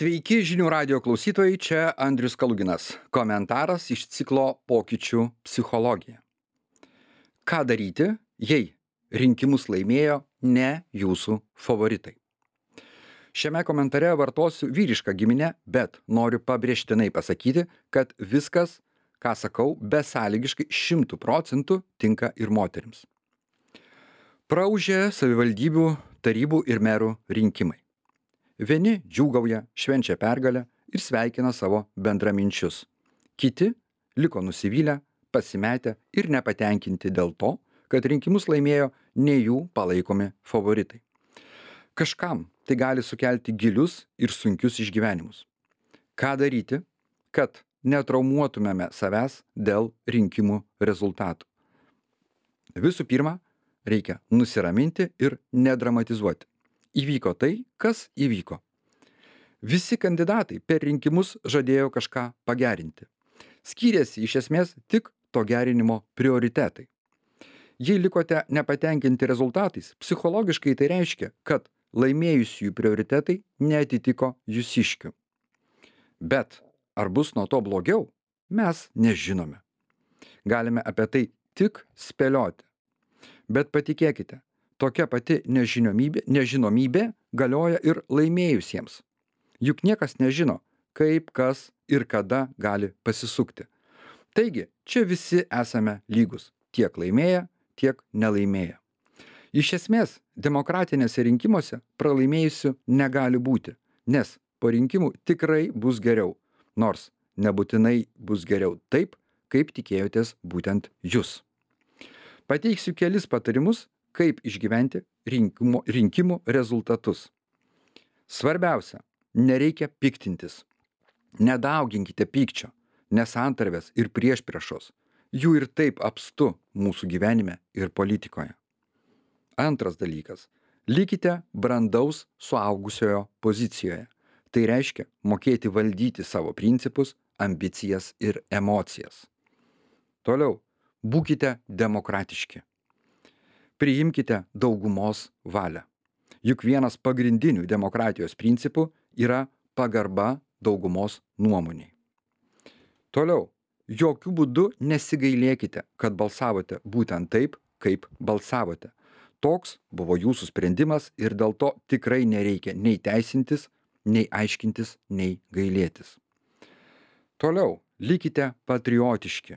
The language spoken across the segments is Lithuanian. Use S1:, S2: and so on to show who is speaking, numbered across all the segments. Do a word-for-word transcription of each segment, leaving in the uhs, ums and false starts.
S1: Sveiki žinių radijo klausytojai, čia Andrius Kaluginas. Komentaras iš ciklo Pokyčių psichologija. Ką daryti, jei rinkimus laimėjo ne jūsų favoritai? Šiame komentare vartosiu vyrišką giminę, bet noriu pabrėžtinai pasakyti, kad viskas, ką sakau, besąlygiškai šimtų procentų tinka ir moterims. Praūžė savivaldybių, tarybų ir merų rinkimai. Vieni džiūgauja, švenčia pergalę ir sveikina savo bendraminčius. Kiti liko nusivylę, pasimetę ir nepatenkinti dėl to, kad rinkimus laimėjo ne jų palaikomi favoritai. Kažkam tai gali sukelti gilius ir sunkius išgyvenimus. Ką daryti, kad netraumuotumėme savęs dėl rinkimų rezultatų? Visų pirma, reikia nusiraminti ir nedramatizuoti. Įvyko tai, kas įvyko. Visi kandidatai per rinkimus žadėjo kažką pagerinti. Skyrėsi iš esmės tik to gerinimo prioritetai. Jei likote nepatenkinti rezultatais, psichologiškai tai reiškia, kad laimėjusiųjų prioritetai neatitiko jūsiškių. Bet ar bus nuo to blogiau, mes nežinome. Galime apie tai tik spėlioti. Bet patikėkite, tokia pati nežinomybė, nežinomybė galioja ir laimėjusiems. Juk niekas nežino, kaip, kas ir kada gali pasisukti. Taigi, čia visi esame lygus, tiek laimėję, tiek nelaimėję. Iš esmės, demokratinėse rinkimuose pralaimėjusių negali būti, nes po rinkimų tikrai bus geriau, nors nebūtinai bus geriau taip, kaip tikėjotės būtent jūs. Pateiksiu kelis patarimus, kaip išgyventi rinkimų, rinkimų rezultatus. Svarbiausia, nereikia piktintis. Nedauginkite pykčio, nesantarvės ir priešpriešos. Jų ir taip apstu mūsų gyvenime ir politikoje. Antras dalykas. Likite brandaus suaugusiojo pozicijoje. Tai reiškia mokėti valdyti savo principus, ambicijas ir emocijas. Toliau, būkite demokratiški. Priimkite daugumos valią. Juk vienas pagrindinių demokratijos principų yra pagarba daugumos nuomoniai. Toliau, jokių būdų nesigailėkite, kad balsavote būtent taip, kaip balsavote. Toks buvo jūsų sprendimas ir dėl to tikrai nereikia nei teisintis, nei aiškintis, nei gailėtis. Toliau, likite patriotiški.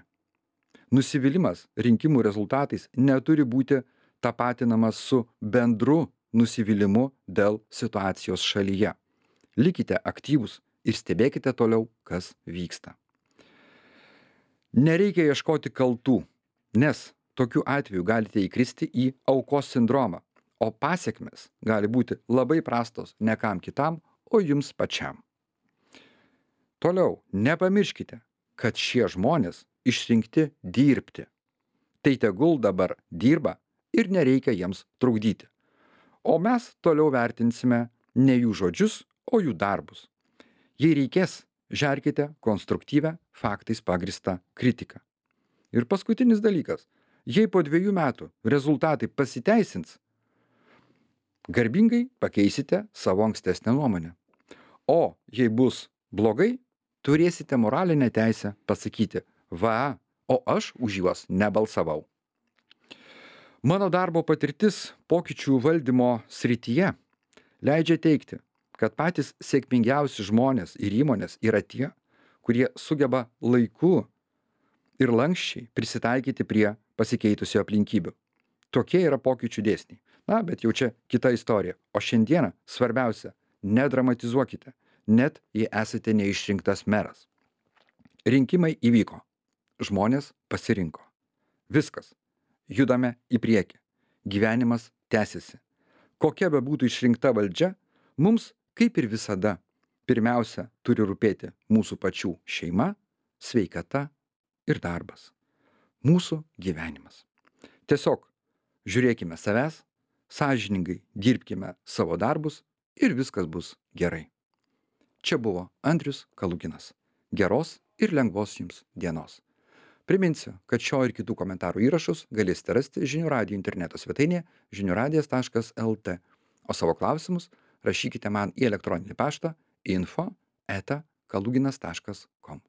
S1: Nusivylimas rinkimų rezultatais neturi būti tapatinamas su bendru nusivylimu dėl situacijos šalyje. Likite aktyvūs ir stebėkite toliau, kas vyksta. Nereikia ieškoti kaltų, nes tokiu atveju galite įkristi į aukos sindromą, o pasekmės gali būti labai prastos ne kam kitam, o jums pačiam. Toliau, nepamirškite, kad šie žmonės išrinkti dirbti. Tai tegul dabar dirba ir nereikia jiems trukdyti. O mes toliau vertinsime ne jų žodžius, o jų darbus. Jei reikės, žerkite konstruktyvę, faktais pagrįstą kritiką. Ir paskutinis dalykas. Jei po dviejų metų rezultatai pasiteisins, garbingai pakeisite savo ankstesnę nuomonę. O jei bus blogai, turėsite moralinę teisę pasakyti, va, o aš už juos nebalsavau. Mano darbo patirtis pokyčių valdymo srityje leidžia teigti, kad patys sėkmingiausi žmonės ir įmonės yra tie, kurie sugeba laiku ir lankščiai prisitaikyti prie pasikeitusių aplinkybių. Tokie yra pokyčių dėsniai. Na, bet jau čia kita istorija. O šiandieną svarbiausia, nedramatizuokite, net jei esate neišrinktas meras. Rinkimai įvyko. Žmonės pasirinko. Viskas. Judame į priekį. Gyvenimas tęsiasi. Kokia bebūtų išrinkta valdžia, mums, kaip ir visada, pirmiausia turi rūpėti mūsų pačių šeima, sveikata ir darbas. Mūsų gyvenimas. Tiesiog žiūrėkime savęs, sąžiningai dirbkime savo darbus ir viskas bus gerai. Čia buvo Andrius Kaluginas. Geros ir lengvos jums dienos. Priminsiu, kad šio ir kitų komentarų įrašus galėsite rasti žinių radijo interneto svetainėje žinių radijas taškas el tė, o savo klausimus rašykite man į elektroninį paštą info eta kaluginas taškas kom.